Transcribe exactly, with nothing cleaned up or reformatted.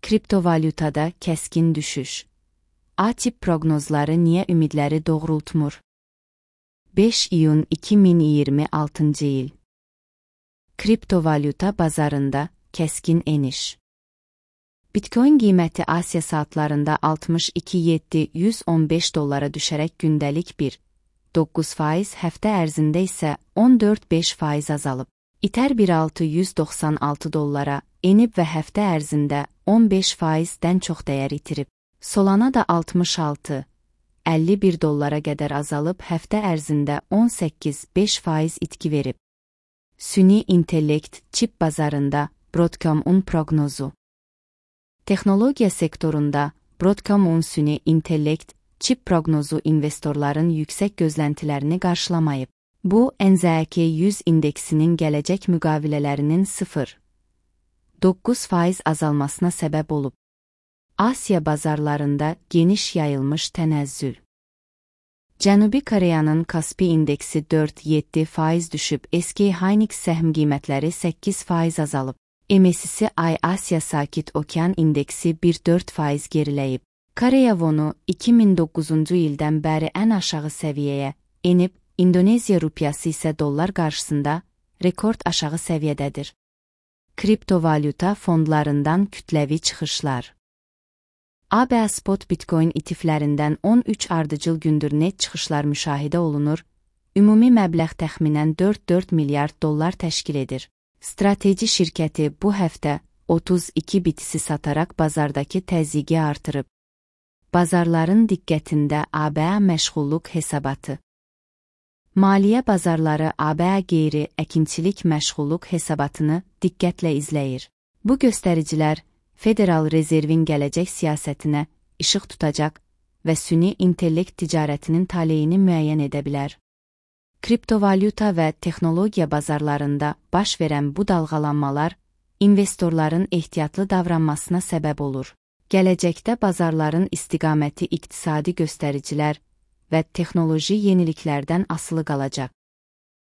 Kriptovalyutada kəskin düşüş. A-tip proqnozları niyə ümidləri doğrultmur? beş iyun iki min iyirmi altıncı il. Kriptovalyuta bazarında kəskin eniş. Bitcoin qiyməti Asiya saatlarında altmış iki min yeddi yüz on beş dollara düşərək gündəlik bir nöqtə doqquz faiz, həftə ərzində isə on dörd nöqtə beş faiz azalıb. Ether bir min altı yüz doxsan altı dollara enib və həftə ərzində on beş faizdən çox dəyər itirib. Solana da altmış altı nöqtə əlli bir dollara qədər azalıb, həftə ərzində on səkkiz nöqtə beş faiz itki verib. Süni intellekt çip bazarında Broadcom-un proqnozu. Texnologiya sektorunda Broadcom-un süni intellekt çip proqnozu investorların yüksək gözləntilərini qarşılamayıb. Bu, N Z K yüz indeksinin gələcək müqavilələrinin sıfır nöqtə doqquz faiz azalmasına səbəb olub. Asiya bazarlarında geniş yayılmış tənəzzül. Cənubi Koreyanın Kospi indeksi dörd nöqtə yeddi faiz düşüb, S K Hynix səhm qiymətləri səkkiz faiz azalıb. M S C I Asiya Sakit Okean indeksi bir nöqtə dörd faiz geriləyib. Koreya wonu iki min doqquzuncu ildən bəri ən aşağı səviyyəyə enib, İndoneziya rupiyası isə dollar qarşısında rekord aşağı səviyyədədir. Kriptovalyuta fondlarından kütləvi çıxışlar. A B A spot Bitcoin E T F'lərindən on üç ardıcıl gündür net çıxışlar müşahidə olunur, ümumi məbləğ təxminən dörd nöqtə dörd milyard dollar təşkil edir. Strateji şirkəti bu həftə otuz iki bitisi sataraq bazardakı təzyiqi artırıb. Bazarların diqqətində A B A məşğulluq hesabatı. Maliyyə bazarları A B A qeyri-əkinçilik məşğulluq hesabatını diqqətlə izləyir. Bu göstəricilər Federal Rezervin gələcək siyasətinə işıq tutacaq və süni intellekt ticarətinin taleyini müəyyən edə bilər. Kriptovalyuta və texnologiya bazarlarında baş verən bu dalğalanmalar investorların ehtiyatlı davranmasına səbəb olur. Gələcəkdə bazarların istiqaməti iqtisadi göstəricilər və texnoloji yeniliklərdən asılı qalacaq.